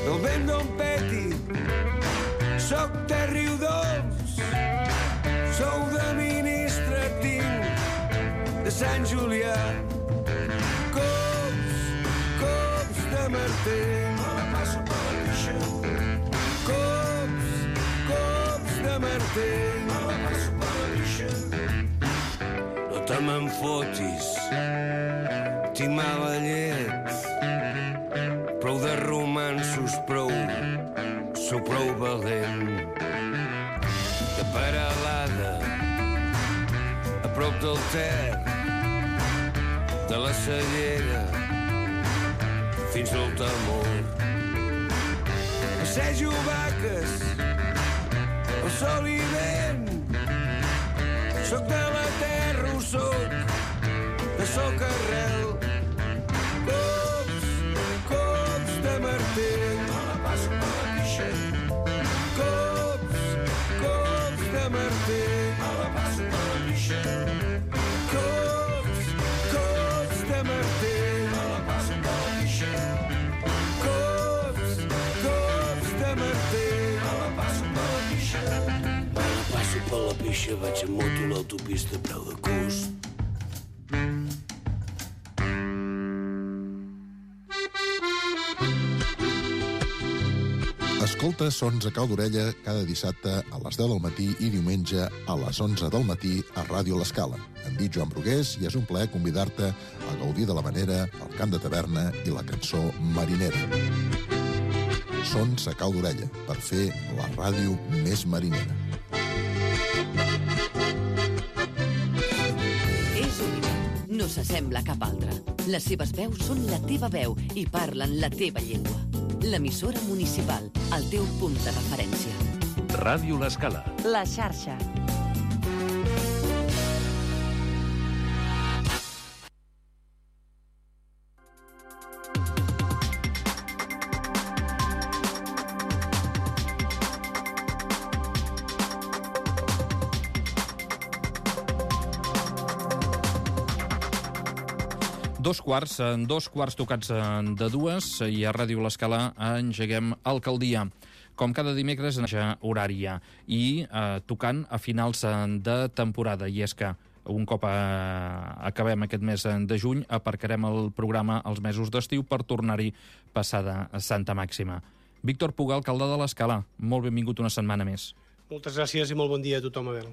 el vent d'on peti, soc de Riudoms, sou d'administratiu de Sant Julià. Cops de martell, me la passo per la pixa. Cops de martell, me la passo per la pixa. No te me'n fotis, tinc mala llet, prou de romansos, sou prou valent. De Peralada, a prop del Ter, de la Cellera fins al Temor. Passejo vaques, el sol i vent, soc de la terra, ho soc, de socarrel. Cops de martell, me la passo per la pixa. Cops de martell, me la passo per la pixa. Cops de martell, me la passo per la pixa. Cops de martell, me la passo per la pixa. Me la passo per la pixa, vaig amb moto a l'autopista a preu de cost. Escolta Sons a cau d'orella cada dissabte a les 10 del matí i diumenge a les 11 del matí a Ràdio L'Escala. Em dic Joan Brugués i és un plaer convidar-te a gaudir de l'havanera, el cant de taverna i la cançó marinera. Sons a cau d'orella, per fer la ràdio més marinera. És única, no s'assembla a cap altra. Les seves veus són la teva veu i parlen la teva llengua. L'emissora municipal, el teu punt de referència. Ràdio L'Escala. La xarxa. Dos quarts tocats de dues i a Ràdio L'Escala engeguem Alcaldia. Com cada dimecres, en horària i tocant a finals de temporada. I és que un cop acabem aquest mes de juny, aparcarem el programa als mesos d'estiu per tornar-hi passada Santa Màxima. Víctor Puga, alcalde de L'Escala, molt benvingut una setmana més. Moltes gràcies i molt bon dia a tothom, Abel.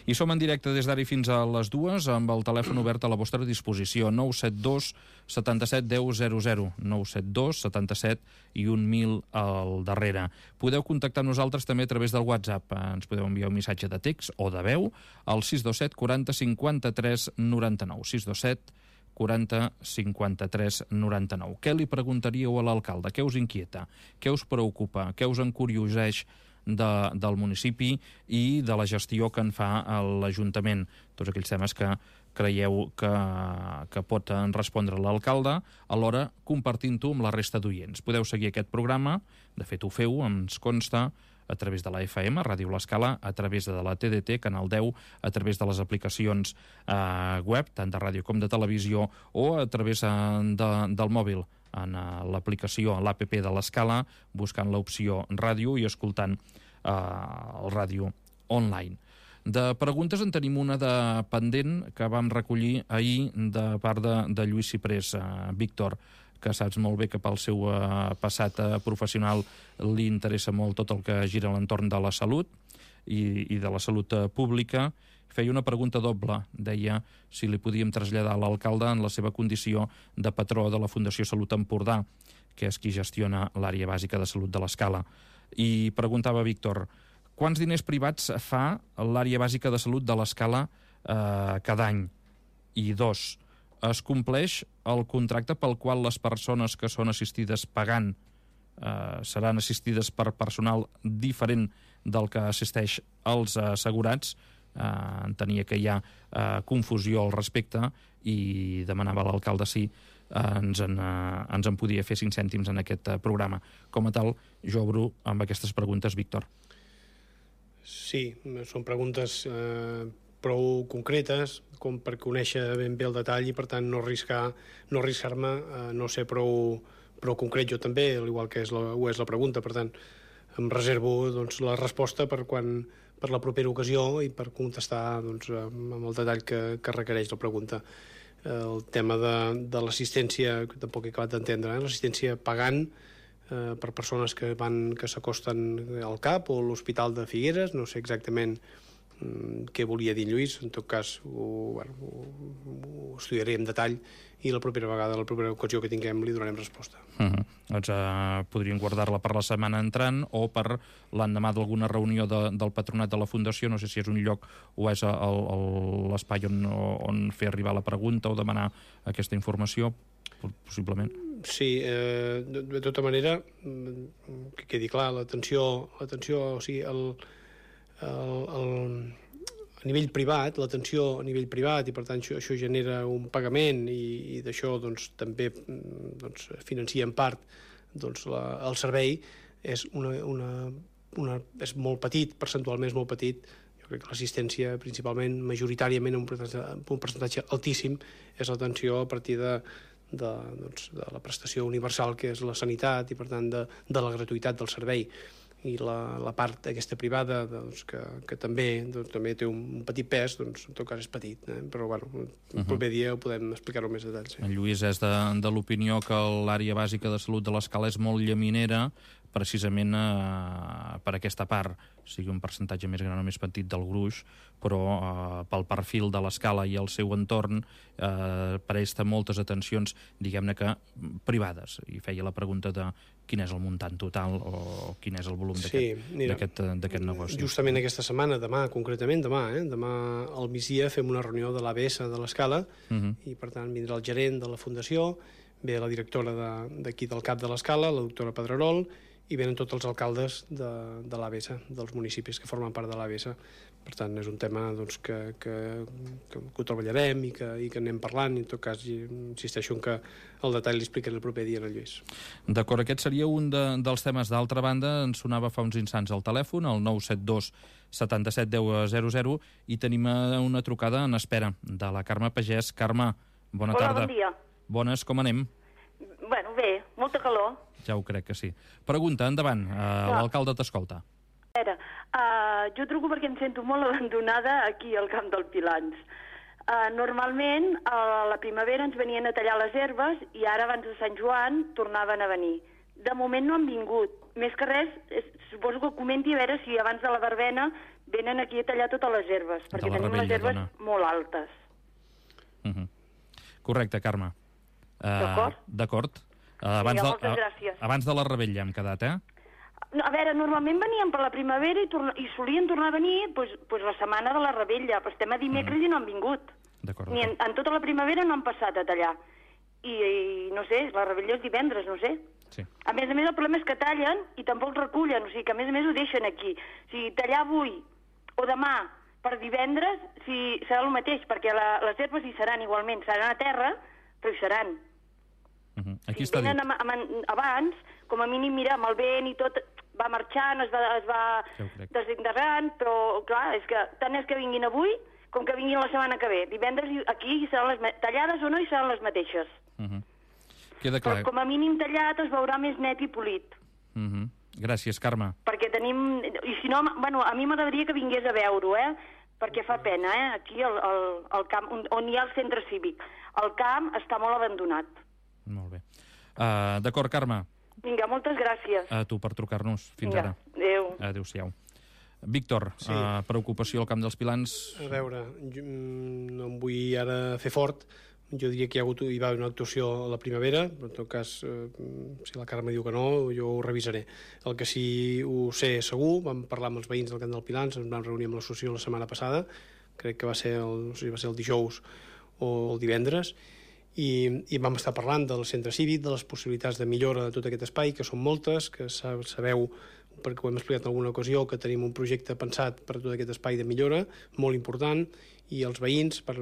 I som en directe des d'ara fins a les 2 amb el telèfon obert a la vostra disposició, 972 77 10 00, 972 77 i 1000 al darrere. Podeu contactar amb nosaltres també a través del WhatsApp. Ens podeu enviar un missatge de text o de veu al 627 40 53 99, 627 40 53 99. Què li preguntaríeu a l'alcalde? Què us inquieta? Què us preocupa? Què us encurioseix del municipi i de la gestió que en fa l'Ajuntament? Tots aquells temes que creieu que pot respondre l'alcalde, alhora compartint-ho amb la resta d'oients. Podeu seguir aquest programa, de fet ho feu, ens consta, a través de la FM, Ràdio L'Escala, a través de la TDT, Canal 10, a través de les aplicacions web, tant de ràdio com de televisió, o a través del mòbil, en l'aplicació, l'APP de l'Escala, buscant l'opció ràdio i escoltant el ràdio online. De preguntes en tenim una de pendent que vam recollir ahir de part de Lluís Ciprés. Víctor, que saps molt bé que pel seu passat professional li interessa molt tot el que gira a l'entorn de la salut i de la salut pública, feia una pregunta doble. Deia si li podíem traslladar a l'alcalde en la seva condició de patró de la Fundació Salut Empordà, que és qui gestiona l'àrea bàsica de salut de l'Escala. I preguntava Víctor, quants diners privats fa l'àrea bàsica de salut de l'Escala cada any? I dos, es compleix el contracte pel qual les persones que són assistides pagant seran assistides per personal diferent del que assisteix als assegurats? Entenia que hi ha confusió al respecte i demanava a l'alcalde si ens en podia fer 5 cèntims en aquest programa. Com a tal, jo obro amb aquestes preguntes, Víctor. Sí, són preguntes prou concretes com per conèixer ben bé el detall i per tant no arriscar-me a no ser prou però concret jo també, al igual que ho és la pregunta, per tant, em reservo la resposta per la propera ocasió i per contestar amb el detall que requereix la pregunta. El tema de l'assistència, que tampoc he acabat d'entendre, l'assistència pagant per persones que s'acosten al CAP o a l'Hospital de Figueres, no sé exactament què volia dir Lluís, en tot cas ho estudiaré en detall i la propera vegada, la propera ocasió que tinguem, li donarem resposta. Doncs podríem guardar-la per la setmana entrant o per l'endemà d'alguna reunió del patronat de la Fundació, no sé si és un lloc o és l'espai on fer arribar la pregunta o demanar aquesta informació, possiblement. Sí, de tota manera, que quedi clar, l'atenció, o sigui, a nivell privat, l'atenció a nivell privat, i per tant això genera un pagament i d'això també financia en part el servei, és molt petit, percentualment és molt petit. Jo crec que l'assistència principalment, majoritàriament, un percentatge altíssim, és l'atenció a partir de la prestació universal que és la sanitat i per tant de la gratuïtat del servei. I la part aquesta privada que també té un petit pes, en tot cas és petit, però el proper dia ho podem explicar-ho amb més detalls. En Lluís és de l'opinió que l'àrea bàsica de salut de l'Escala és molt llaminera, precisament per aquesta part, sigui un percentatge més gran o més petit del gruix, però pel perfil de l'Escala i el seu entorn presta moltes atencions, diguem-ne que privades, i feia la pregunta de quin és el muntant total o quin és el volum d'aquest negoci. Justament aquesta setmana, demà concretament, demà al migdia fem una reunió de l'ABS de l'Escala i per tant vindrà el gerent de la Fundació, ve la directora d'aquí del CAP de l'Escala, la doctora Pedrerol, i venen tots els alcaldes de l'ABS, dels municipis que formen part de l'ABS. Per tant, és un tema que ho treballarem i que anem parlant, i en tot cas insisteixo en que el detall li explicaré el proper dia a Lluís. D'acord, aquest seria un dels temes. D'altra banda, ens sonava fa uns instants al telèfon, el 972 77 10 00, i tenim una trucada en espera de la Carme Pagès. Carme, bona tarda. Hola, bon dia. Bones, com anem? Bueno, bé, molta calor. Ja ho crec que sí. Pregunta, endavant, l'alcalde t'escolta. A veure, jo truco perquè em sento molt abandonada aquí al Camp del Pilans. Normalment, a la primavera ens venien a tallar les herbes i ara, abans de Sant Joan, tornaven a venir. De moment no han vingut. Més que res, suposo que comenti a veure si abans de la verbena venen aquí a tallar totes les herbes, perquè tenim les herbes molt altes. Correcte, Carme. D'acord? D'acord. Moltes gràcies. Abans de la rebella hem quedat, A veure, normalment venien per la primavera i solien tornar a venir la setmana de la rebella, però estem a dimecres i no han vingut. D'acord. Ni en tota la primavera no han passat a tallar. I no sé, la rebella és divendres, no sé. Sí. A més, el problema és que tallen i tampoc recullen, o sigui que a més ho deixen aquí. O sigui, tallar avui o demà per divendres serà el mateix, perquè les herbes hi seran igualment, seran a terra, però hi seran. Aquí si venen abans, com a mínim, mira, amb el vent i tot, va marxant, es va desintegrant, però clar, tant és que vinguin avui com que vinguin la setmana que ve. Divendres aquí seran tallades o no, i seran les mateixes. Queda clar. Però com a mínim tallat es veurà més net i polit. Gràcies, Carme. Perquè tenim... I si no, a mi m'agradaria que vingués a veure-ho, perquè fa pena, aquí al camp, on hi ha el centre cívic. El camp està molt abandonat. Molt bé. D'acord, Carme. Vinga, moltes gràcies. A tu per trucar-nos. Fins ara. Adéu. Adéu-siau. Víctor, preocupació al Camp dels Pilans. A veure, no em vull ara fer fort. Jo diria que hi va haver una actuació a la primavera, però en tot cas, si la Carme diu que no, jo ho revisaré. El que sí ho sé segur, vam parlar amb els veïns del Camp dels Pilans, ens vam reunir amb l'associació la setmana passada, crec que va ser el dijous o el divendres, i vam estar parlant del centre cívic, de les possibilitats de millora de tot aquest espai, que són moltes, que sabeu, perquè ho hem explicat en alguna ocasió, que tenim un projecte pensat per tot aquest espai de millora, molt important, i els veïns, per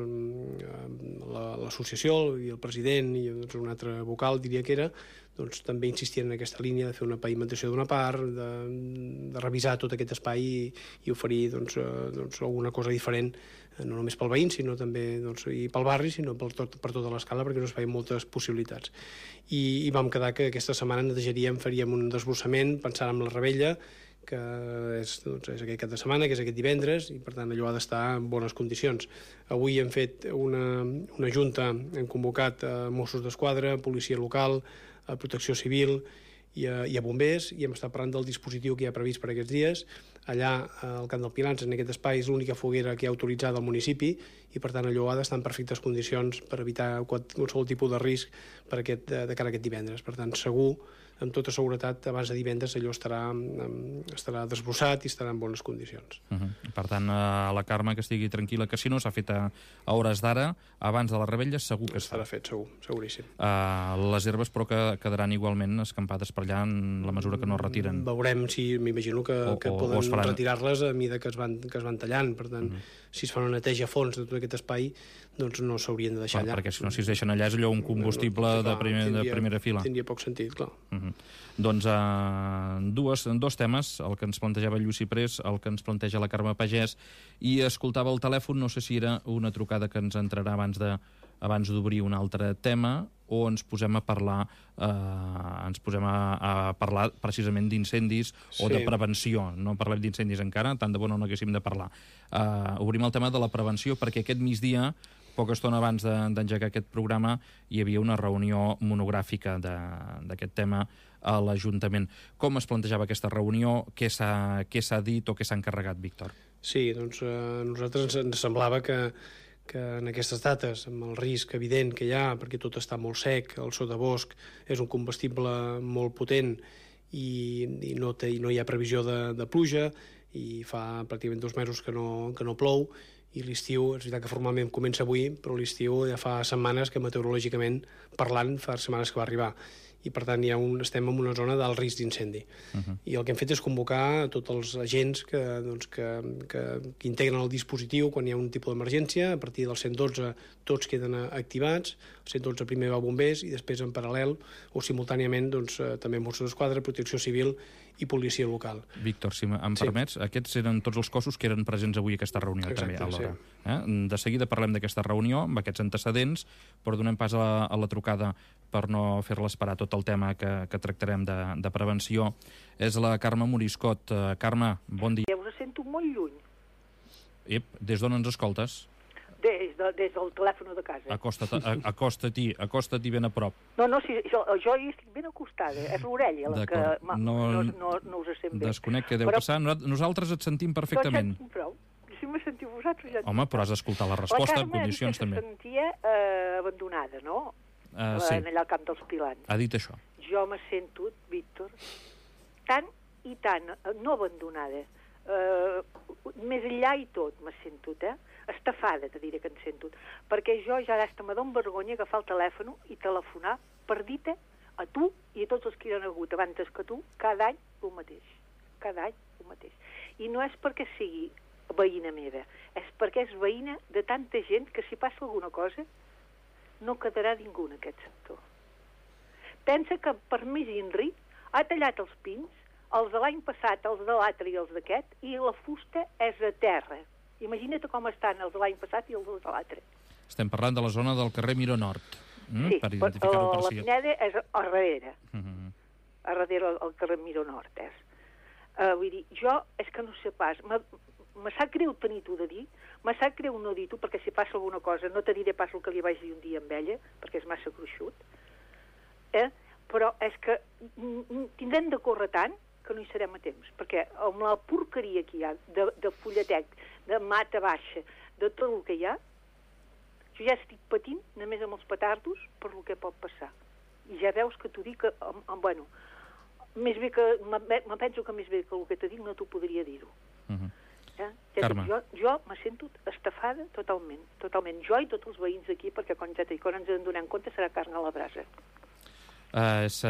l'associació i el president i un altre vocal, diria que era, doncs, també insistien en aquesta línia de fer una pavimentació d'una part, de revisar tot aquest espai i oferir doncs, alguna cosa diferent, no només pel veïn, sinó també doncs, i pel barri, sinó per tota l'escala, perquè és un espai amb moltes possibilitats. I vam quedar que aquesta setmana netejaríem, faríem un desbrossament, pensant en la Rebella, que és aquest cap de setmana, que és aquest divendres, i per tant allò ha d'estar en bones condicions. Avui hem fet una junta, hem convocat Mossos d'Esquadra, policia local, Protecció Civil i a bombers, i hem estat parlant del dispositiu que hi ha previst per aquests dies. Allà, al Camp del Pilans, en aquest espai, és l'única foguera que hi ha autoritzada al municipi, i per tant allò ha d'estar en perfectes condicions per evitar qualsevol tipus de risc de cara a aquest divendres. Per tant, segur, amb tota seguretat, abans de divendres allò estarà desbrossat i estarà en bones condicions. Per tant, a la Carme que estigui tranquil·la, que si no s'ha fet a hores d'ara, abans de la Rebella, segur que es fa. Estarà fet, segur, seguríssim. Les herbes, però, que quedaran igualment escampades per allà en la mesura que no es retiren. Veurem si, m'imagino que poden retirar-les a mida que es van tallant. Per tant, si es fa una neteja a fons de tot aquest espai, doncs no s'haurien de deixar allà. Perquè si no, si es deixen allà és allò un combustible de primera fila. Tindria poc sentit, clar. Doncs dos temes, el que ens plantejava Lluís Ciprés, el que ens planteja la Carme Pagès, i escoltava el telèfon, no sé si era una trucada que ens entrarà abans d'obrir un altre tema, o ens posem a parlar precisament d'incendis o de prevenció. No parlem d'incendis encara, tant de bo no n'haguéssim de parlar. Obrim el tema de la prevenció, perquè aquest migdia, poca estona abans d'engegar aquest programa, hi havia una reunió monogràfica d'aquest tema a l'Ajuntament. Com es plantejava aquesta reunió? Què s'ha dit o què s'ha encarregat, Víctor? Sí, doncs a nosaltres ens semblava que en aquestes dates, amb el risc evident que hi ha, perquè tot està molt sec, el sotabosc és un combustible molt potent i no hi ha previsió de pluja, i fa pràcticament 2 mesos que no plou, i l'estiu, és veritat que formalment comença avui, però l'estiu ja fa setmanes que meteorològicament parlant fa setmanes que va arribar. I per tant estem en una zona d'alt risc d'incendi. I el que hem fet és convocar tots els agents que integren el dispositiu quan hi ha un tipus d'emergència. A partir del 112 tots queden activats, el 112 primer va a bombers i després en paral·lel o simultàniament també Mossos d'Esquadra, Protecció Civil i policia local. Víctor, si em permets, aquests eren tots els cossos que eren presents avui a aquesta reunió. Exacte, també alhora. De seguida parlem d'aquesta reunió, amb aquests antecedents, però donem pas a la trucada per no fer-la esperar tot el tema que tractarem de prevenció. És la Carme Moriscot. Carme, bon dia. Us sento molt lluny. Des d'on ens escoltes? Des del telèfon de casa. Acosta-t'hi ben a prop. No, jo hi estic ben acostada. És l'orella la que no us sent bé. Desconec què deu passar. Nosaltres et sentim perfectament. Doncs prou. Si me sentiu vosaltres ja... Home, però has d'escoltar la resposta en condicions també. La Carme ha dit que se sentia abandonada, no? Sí. Allà al Camp dels Pilans. Ha dit això. Jo me sento, Víctor, tan i tan, no abandonada, més enllà i tot me sento, estafada, te diré que em sento, perquè jo ja hasta me dono vergonya agafar el telèfon i telefonar per dir-te a tu i a tots els que hi han hagut abans que tu, cada any el mateix. Cada any el mateix. I no és perquè sigui veïna meva, és perquè és veïna de tanta gent que si passa alguna cosa no quedarà ningú en aquest sector. Pensa que per més INRI ha tallat els pins, els de l'any passat, els de l'altre i els d'aquest, i la fusta és a terra. Imagina't com estan els de l'any passat i els de l'altre. Estem parlant de la zona del carrer Miró Nord. Sí, per identificar-ho per la Pineda és a darrere. A darrere el carrer Miró Nord és. Vull dir, jo és que no sé pas... Me sap greu tenir-t'ho de dir, me sap greu no dir-t'ho, perquè si passa alguna cosa no te diré pas el que li vaig dir un dia amb ella, perquè és massa gruixut, però és que tindrem de córrer tant que no hi serem a temps, perquè amb la porqueria que hi ha de fulletec, de mata baixa, de tot el que hi ha, jo ja estic patint només amb els petardos per el que pot passar. I ja veus que t'ho dic que, bueno, més bé que, me penso que més bé que el que te dic no t'ho podria dir-ho. Carme. Jo me sento estafada totalment. Jo i tots els veïns d'aquí, perquè quan ens en donem compte serà carn a la brasa. És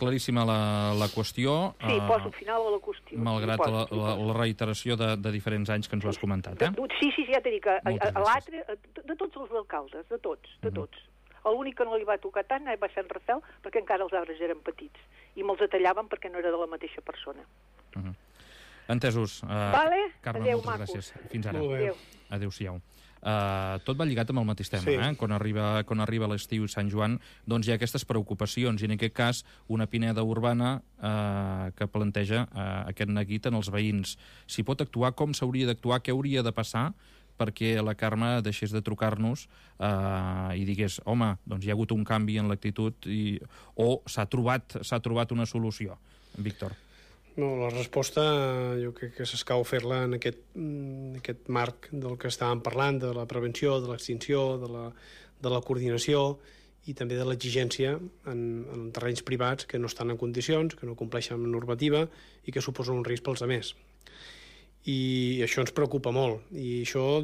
claríssima la qüestió. Sí, poso final a la qüestió. Malgrat la reiteració de diferents anys que ens ho has comentat. Sí, ja t'he dit que a l'altre, de tots els alcaldes, de tots. L'únic que no li va tocar tant va ser en Rafael, perquè encara els arbres eren petits, i me'ls tallaven perquè no era de la mateixa persona. Entesos. Vale? Carme, Adéu, moltes macos. gràcies. Fins ara. Molt bé. Adéu-siau. Tot va lligat amb el mateix tema, Sí. Quan arriba l'estiu i Sant Joan, doncs hi ha aquestes preocupacions, i en aquest cas una pineda urbana que planteja aquest neguit en els veïns. Si pot actuar, com s'hauria d'actuar, què hauria de passar perquè la Carme deixés de trucar-nos i digués, home, doncs hi ha hagut un canvi en l'actitud o s'ha trobat una solució. Víctor. No, la resposta jo crec que s'escau fer-la en aquest marc del que estàvem parlant, de la prevenció, de l'extinció, de la coordinació i també de l'exigència en terrenys privats que no estan en condicions, que no compleixen amb normativa i que suposen un risc pels altres. I això ens preocupa molt. I això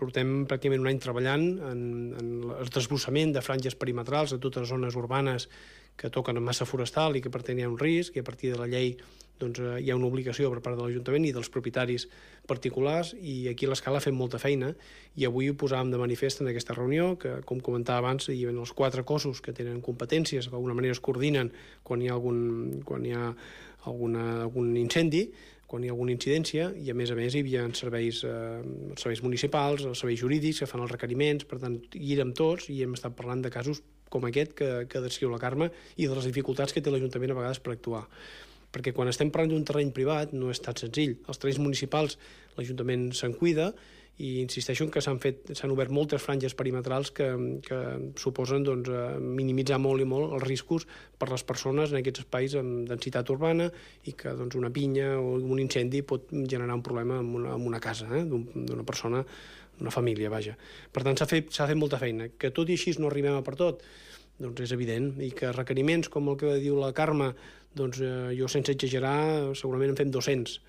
portem pràcticament un any treballant en el desbrossament de franges perimetrals a totes les zones urbanes que toquen amb massa forestal i que per tant hi ha un risc, i a partir de la llei hi ha una obligació per part de l'Ajuntament i dels propietaris particulars, i aquí a l'Escala fem molta feina, i avui ho posàvem de manifest en aquesta reunió, que com comentava abans, hi ha els 4 cossos que tenen competències, que d'alguna manera es coordinen quan hi ha algun incendi, quan hi ha alguna incidència, i a més hi havia serveis municipals, els serveis jurídics que fan els requeriments, per tant hi érem tots i hem estat parlant de casos com aquest que descriu la Carme i de les dificultats que té l'Ajuntament a vegades per actuar. Perquè quan estem parlant d'un terreny privat no és tan senzill. Els terrenys municipals l'Ajuntament se'n cuida, i insisteixo en que s'han obert moltes franges perimetrals que suposen minimitzar molt i molt els riscos per les persones en aquests espais amb densitat urbana, i que una pinya o un incendi pot generar un problema en una casa d'una persona, d'una família, vaja. Per tant, s'ha fet molta feina. Que tot i així no arribem a per tot, doncs és evident, i que requeriments com el que diu la Carme, jo sense exagerar segurament en fem 200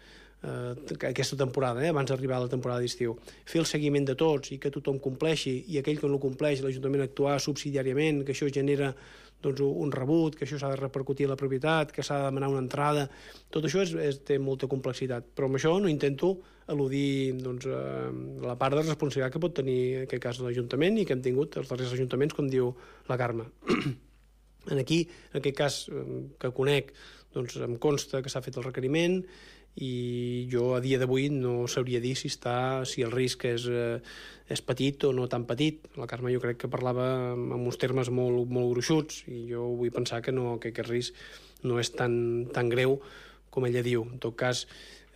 aquesta temporada, abans d'arribar a la temporada d'estiu. Fer el seguiment de tots i que tothom compleixi, i aquell que no compleix l'Ajuntament actuar subsidiàriament, que això genera un rebut, que això s'ha de repercutir a la propietat, que s'ha de demanar una entrada. Tot això té molta complexitat, però amb això no intento eludir la part de responsabilitat que pot tenir en aquest cas l'Ajuntament i que hem tingut els darrers ajuntaments, com diu la Carme. En aquest cas que conec, em consta que s'ha fet el requeriment, i jo a dia d'avui no sabria dir si el risc és petit o no tan petit. La Carme jo crec que parlava en uns termes molt, molt gruixuts, i jo vull pensar que aquest risc no és tan greu com ella diu. En tot cas,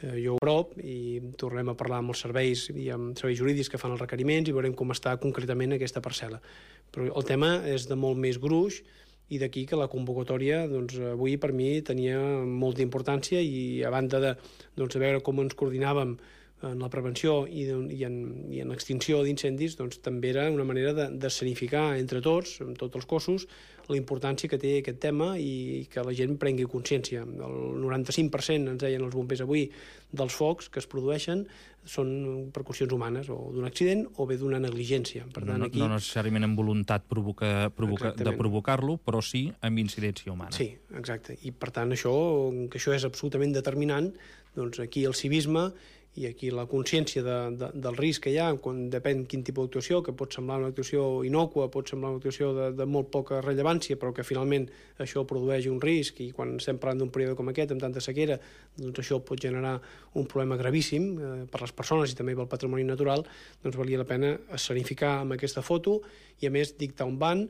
jo ho prop i tornem a parlar amb els serveis i amb serveis jurídics que fan els requeriments i veurem com està concretament aquesta parcel·la. Però el tema és de molt més gruix, i d'aquí que la convocatòria avui per mi tenia molta importància, i a banda de veure com ens coordinàvem en la prevenció i en l'extinció d'incendis, també era una manera d'escenificar entre tots, amb tots els cossos, la importància que té aquest tema i que la gent prengui consciència. El 95%, ens deien els bombers avui, dels focs que es produeixen són per qüestions humanes, o d'un accident o bé d'una negligència. Per tant, aquí... No necessàriament amb voluntat de provocar-lo, però sí amb incidència humana. Sí, exacte. I per tant, això és absolutament determinant. Aquí el civisme i aquí la consciència del risc que hi ha, depèn quin tipus d'actuació, que pot semblar una actuació innòcua, pot semblar una actuació de molt poca rellevància, però que finalment això produeix un risc, i quan estem parlant d'un període com aquest, amb tanta sequera, això pot generar un problema gravíssim per les persones i també pel patrimoni natural. Valia la pena escenificar amb aquesta foto i, a més, dictar un ban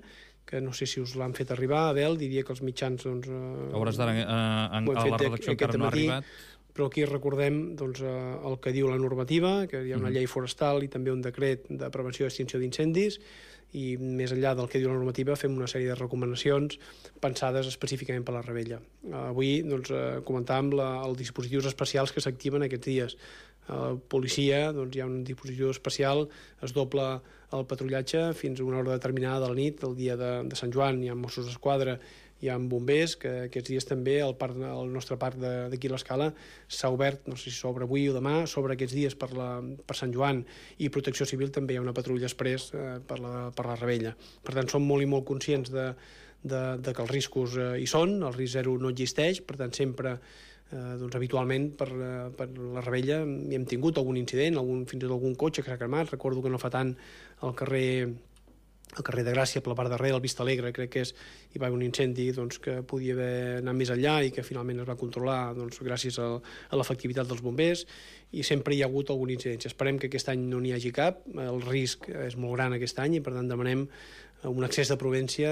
que no sé si us l'han fet arribar, Abel, diria que els mitjans... Hauràs d'anar a la redacció, encara no ha arribat. Però aquí recordem el que diu la normativa, que hi ha una llei forestal i també un decret de prevenció i extinció d'incendis, i més enllà del que diu la normativa fem una sèrie de recomanacions pensades específicament per la Rebella. Avui comentàvem els dispositius especials que s'activen aquests dies. Policia, hi ha un dispositiu especial, es dobla el patrullatge fins a una hora determinada de la nit, el dia de Sant Joan. Hi ha Mossos d'Esquadra, hi ha bombers, que aquests dies també el nostre parc d'aquí a l'Escala s'ha obert, no sé si s'obre avui o demà, s'obre aquests dies per Sant Joan, i Protecció Civil també hi ha una patrulla express per la Rebella. Per tant, som molt i molt conscients de que els riscos hi són, el risc zero no existeix, per tant, sempre habitualment per la Rebella hi hem tingut algun incident, fins i tot algun cotxe que s'ha cremat. Recordo que no fa tant al carrer al carrer de Gràcia, per la part darrere, al Vista Alegre, crec que hi va haver un incendi que podia haver anat més enllà i que finalment es va controlar gràcies a l'efectivitat dels bombers, i sempre hi ha hagut alguna incidència. Esperem que aquest any no n'hi hagi cap, el risc és molt gran aquest any i per tant demanem un excés de prudència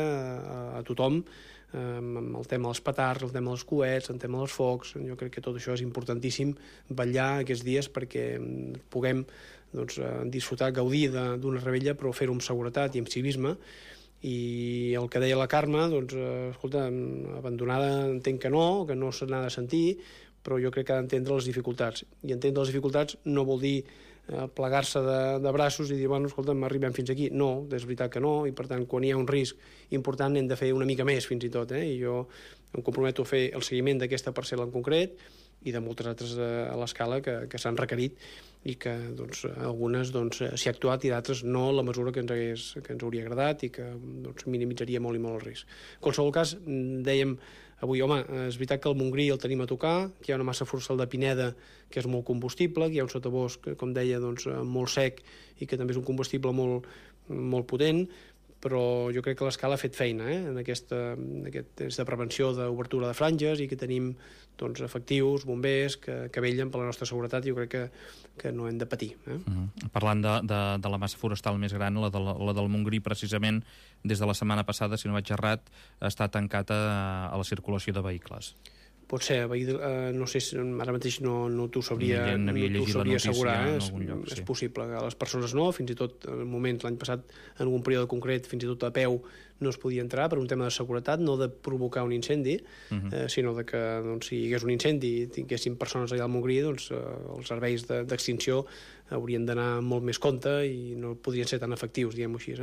a tothom, amb el tema dels petards, el tema dels coets, el tema dels focs. Jo crec que tot això és importantíssim, vetllar aquests dies perquè puguem disfrutar, gaudir d'una revetlla, però fer-ho amb seguretat i amb civisme. I el que deia la Carme, escolta, abandonada entenc que no se n'ha de sentir, però jo crec que ha d'entendre les dificultats. I entendre les dificultats no vol dir plegar-se de braços i dir, bueno, escolta, arribem fins aquí. No, és veritat que no, i per tant, quan hi ha un risc important hem de fer una mica més, fins i tot. I jo em comprometo a fer el seguiment d'aquesta parcel·la en concret i de moltes altres a l'escala que s'han requerit i que algunes s'hi ha actuat i d'altres no la mesura que ens hauria agradat i que minimitzaria molt i molt el risc. En qualsevol cas, dèiem avui, home, és veritat que el Montgrí el tenim a tocar, que hi ha una massa forestal de Pineda que és molt combustible, que hi ha un sotabosc, com deia, molt sec i que també és un combustible molt potent, però jo crec que l'escala ha fet feina en aquesta prevenció d'obertura de franges i que tenim efectius, bombers, que vellen per la nostra seguretat i jo crec que no hem de patir. Parlant de la massa forestal més gran, la del Montgrí, precisament, des de la setmana passada, si no vaig errat, està tancat a la circulació de vehicles. Pot ser, no sé, ara mateix no t'ho sabria assegurar, és possible. A les persones no, fins i tot en moments l'any passat, en algun període concret, fins i tot a peu no es podia entrar per un tema de seguretat, no de provocar un incendi, sinó que si hi hagués un incendi i tinguessin persones allà al Montgrí, els serveis d'extinció haurien d'anar molt més compte i no podrien ser tan efectius, diguem-ho així.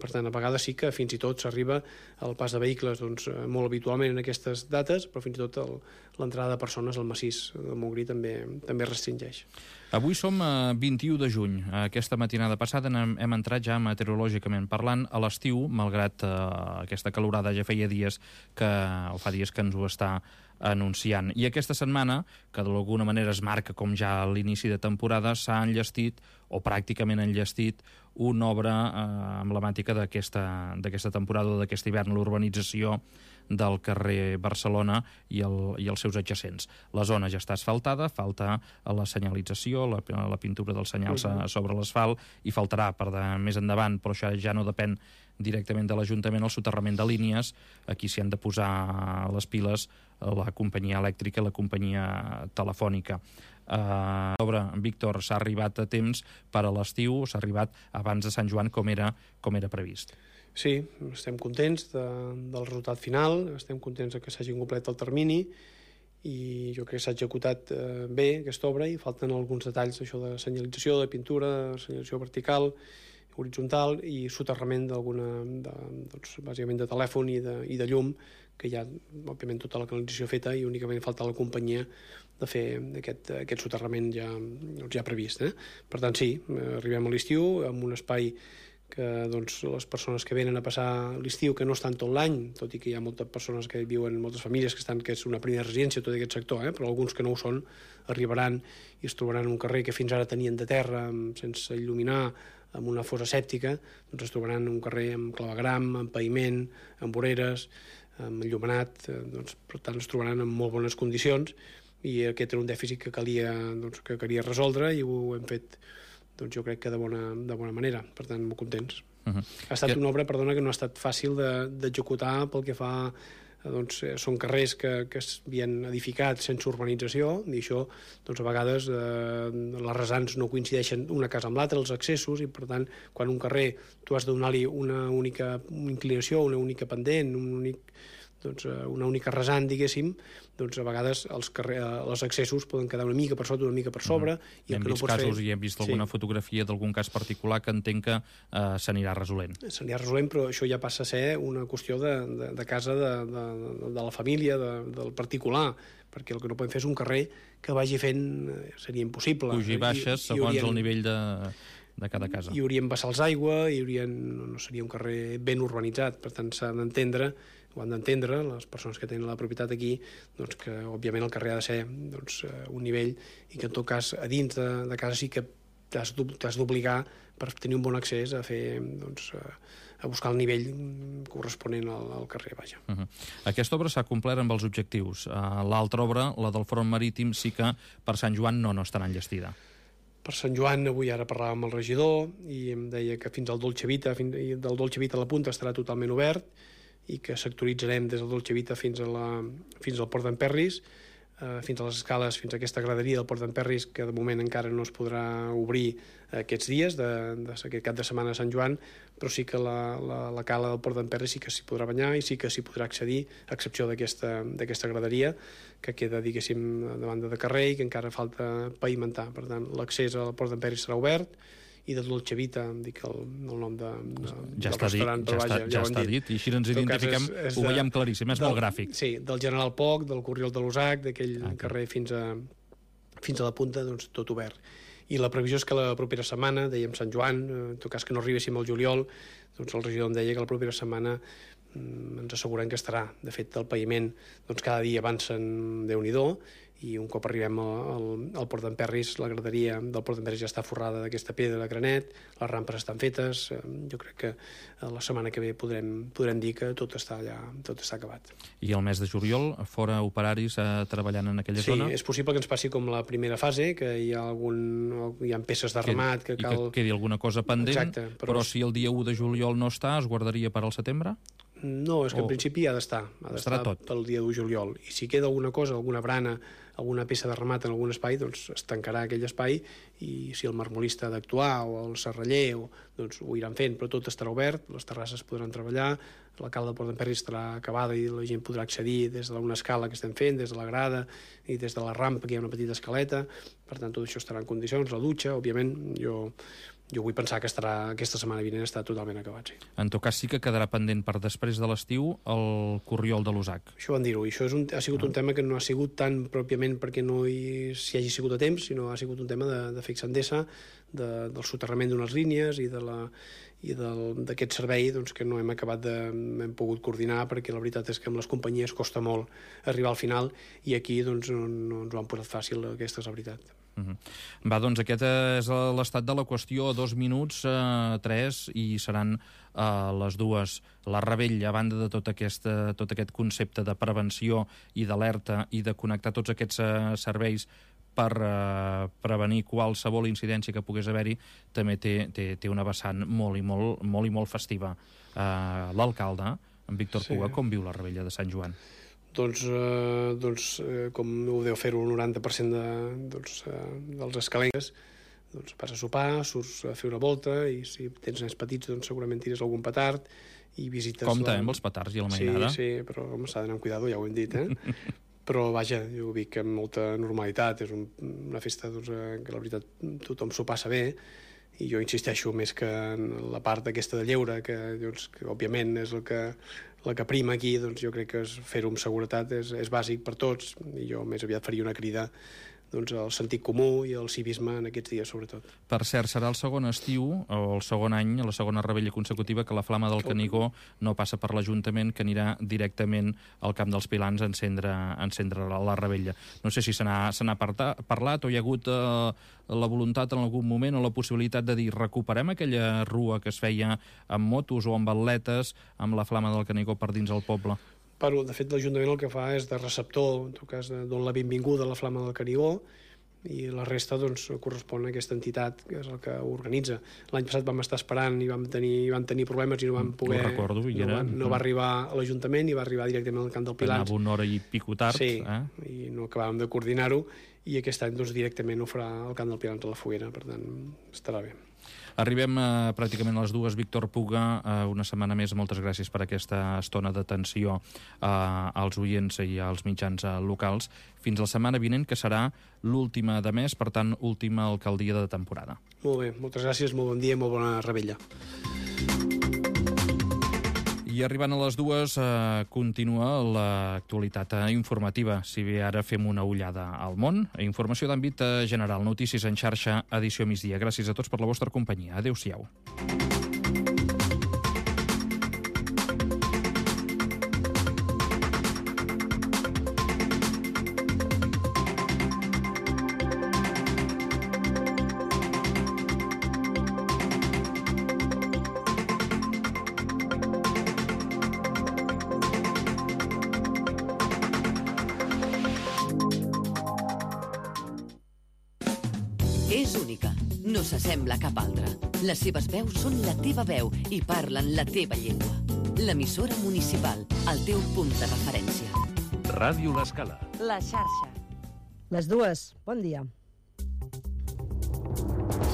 Per tant, a vegades sí que fins i tot s'arriba al pas de vehicles molt habitualment en aquestes dates, però fins i tot l'entrada de persones al massís del Montgrí també restringeix. Avui som a 21 de juny. Aquesta matinada passada hem entrat ja meteorològicament parlant a l'estiu, malgrat aquesta calorada ja feia dies fa dies que ens ho està anunciant. I aquesta setmana, que d'alguna manera es marca com ja a l'inici de temporada, s'ha enllestit, o pràcticament enllestit, una obra emblemàtica d'aquesta temporada o d'aquest hivern, l'urbanització del carrer Barcelona i els seus adjacents. La zona ja està asfaltada, falta la senyalització, la pintura dels senyals sobre l'asfalt, i faltarà per més endavant, però això ja no depèn directament de l'Ajuntament, el soterrament de línies. Aquí s'hi han de posar les piles la companyia elèctrica i la companyia telefònica. Víctor, s'ha arribat a temps per a l'estiu, s'ha arribat abans de Sant Joan com era previst. Sí, estem contents del resultat final, estem contents que s'hagi completat el termini i jo crec que s'ha executat bé aquesta obra i falten alguns detalls això de senyalització, de pintura, de senyalització vertical, horitzontal i soterrament bàsicament de telèfon i de llum, que hi ha, òbviament, tota la canalització feta i únicament falta la companyia de fer aquest soterrament ja previst. Per tant, sí, arribem a l'estiu amb un espai que les persones que venen a passar l'estiu, que no estan tot l'any, tot i que hi ha moltes persones que viuen, moltes famílies que és una primera residència tot aquest sector, però alguns que no ho són arribaran i es trobaran en un carrer que fins ara tenien de terra, sense il·luminar, amb una fossa sèptica, es trobaran un carrer amb clavegram, amb paviment, amb voreres, amb enllumenat, per tant es trobaran en molt bones condicions i aquest era un dèficit que calia resoldre i ho hem fet jo crec que de bona manera, per tant molt contents. Ha estat una obra, perdona, que no ha estat fàcil d'executar pel que fa són carrers que s'havien edificat sense urbanització i això a vegades les rasants no coincideixen una casa amb l'altra, els accessos, i per tant quan un carrer tu has de donar-li una única inclinació, una única pendent, una única rasant, diguéssim, a vegades els accessos poden quedar una mica per sota, una mica per sobre. I hem vist casos i hem vist alguna fotografia d'algun cas particular que entenc que s'anirà resolent. S'anirà resolent, però això ja passa a ser una qüestió de casa de la família, del particular, perquè el que no podem fer és un carrer que vagi fent, seria impossible. Puja i baixes segons el nivell de cada casa. Hi haurien vessals d'aigua, no seria un carrer ben urbanitzat, per tant s'ha d'entendre, ho han d'entendre les persones que tenen la propietat aquí, que òbviament el carrer ha de ser un nivell i que en tot cas a dins de casa sí que t'has d'obligar per tenir un bon accés a fer buscar el nivell corresponent al carrer, vaja. Aquesta obra s'ha complert amb els objectius. L'altra obra, la del front marítim, sí que per Sant Joan no estarà enllestida. Per Sant Joan, avui ara parlàvem amb el regidor i em deia que fins al Dolce Vita, del Dolce Vita a la punta estarà totalment obert i que sectoritzarem des del Dolce Vita fins al Port d'en Perris, fins a les escales, fins a aquesta graderia del Port d'en Perris, que de moment encara no es podrà obrir aquests dies, d'aquest cap de setmana de Sant Joan, però sí que la cala del Port d'en Perris sí que s'hi podrà banyar i sí que s'hi podrà accedir, a excepció d'aquesta graderia, que queda, diguéssim, de banda de carrer i que encara falta pavimentar. Per tant, l'accés al Port d'en Perris serà obert, i de Dolce Vita, em dic el nom del restaurant, però vaja, ja està dit, i així ens identifiquem, ho veiem claríssim, és molt gràfic. Sí, del General Poc, del Corriol de l'Usac, d'aquell carrer fins a la punta, doncs tot obert. I la previsió és que la propera setmana, dèiem Sant Joan, en tot cas que no arribéssim al juliol, doncs el regidor em deia que la propera setmana ens asseguren que estarà. De fet, el paviment doncs cada dia avancen Déu-n'hi-do, i un cop arribem al Port d'en Perris, la graderia del Port d'en Perris ja està forrada d'aquesta pedra de granet, les rampes estan fetes, jo crec que la setmana que ve podrem dir que tot està acabat. I el mes de juliol, fora operaris treballant en aquella zona? Sí, és possible que ens passi com la primera fase, que hi ha peces de remat que cal... I que quedi alguna cosa pendent. Exacte, però si el dia 1 de juliol no està, es guardaria per al setembre? No, és que en principi ha d'estar pel dia 1 de juliol. I si queda alguna cosa, alguna brana, alguna peça de remat en algun espai, doncs es tancarà aquell espai, i si el marmolista ha d'actuar o el serraller, doncs ho iran fent, però tot estarà obert, les terrasses podran treballar, la cala del Port d'en Perris estarà acabada i la gent podrà accedir des d'una escala que estem fent, des de la grada i des de la rampa, que hi ha una petita escaleta. Per tant, tot això estarà en condicions. La dutxa, òbviament, jo vull pensar que aquesta setmana vinent està totalment acabat, sí. En tot cas, sí que quedarà pendent per després de l'estiu el Corriol de l'Usac. Això van dir-ho, i això ha sigut un tema que no ha sigut tan pròpiament perquè no s'hi hagi sigut a temps, sinó ha sigut un tema de Fix Endesa, del soterrament d'unes línies i d'aquest servei doncs, que no hem pogut coordinar, perquè la veritat és que amb les companyies costa molt arribar al final, i aquí doncs, no ens ho han posat fàcil, aquesta és la veritat. Va, doncs aquest és l'estat de la qüestió. 2 minuts, 3, i seran les 2. La Rebella, a banda de tot aquest concepte de prevenció i d'alerta i de connectar tots aquests serveis per prevenir qualsevol incidència que pogués haver-hi, també té una vessant molt i molt festiva. L'alcalde, en Víctor Puga, com viu la Rebella de Sant Joan? Doncs com ho deu fer-ho el 90% dels escalencs, doncs vas a sopar, surts a fer una volta, i si tens nens petits doncs segurament tires algun petard i visites... Compte amb els petards i la mainada. Sí, però s'ha d'anar amb cuidado, ja ho hem dit, Però vaja, jo ho dic amb molta normalitat, és una festa que la veritat tothom s'ho passa bé, i jo insisteixo més que en la part aquesta de lleure, que òbviament és la que prima aquí, doncs jo crec que fer-ho amb seguretat és bàsic per tots, i jo més aviat faria una crida al sentit comú i al civisme en aquests dies, sobretot. Per cert, serà el segon estiu, o el segon any, la segona Rebella consecutiva, que la Flama del Canigó no passa per l'Ajuntament, que anirà directament al Camp dels Pilans a encendre la Rebella. No sé si se n'ha parlat o hi ha hagut la voluntat en algun moment o la possibilitat de dir recuperem aquella rua que es feia amb motos o amb atletes amb la Flama del Canigó per dins el poble. De fet, l'Ajuntament el que fa és de receptor, en tot cas, don la benvinguda a la Flama del Canigó, i la resta correspon a aquesta entitat, que és el que ho organitza. L'any passat vam estar esperant i vam tenir problemes i no vam poder... Ho recordo, no va arribar a l'Ajuntament i va arribar directament al Camp del Pilans. Anava una hora i pico tard. Sí, i no acabàvem de coordinar-ho, i aquest any directament ho farà al Camp del Pilans a la Foguera, per tant, estarà bé. Arribem pràcticament a les 2. Víctor Puga, una setmana més, moltes gràcies per aquesta estona d'atenció als oients i als mitjans locals. Fins la setmana vinent, que serà l'última de mes, per tant, última alcaldia de temporada. Molt bé, moltes gràcies, molt bon dia i molt bona Rebella. I arribant a les 2 continua l'actualitat informativa. Si bé ara fem una ullada al món, informació d'àmbit general, notícies en xarxa, edició migdia. Gràcies a tots per la vostra companyia. Adéu-siau. És única, no s'assembla a cap altra. Les seves veus són la teva veu i parlen la teva llengua. L'emissora municipal, el teu punt de referència. Ràdio L'Escala. La xarxa. Les dues, bon dia.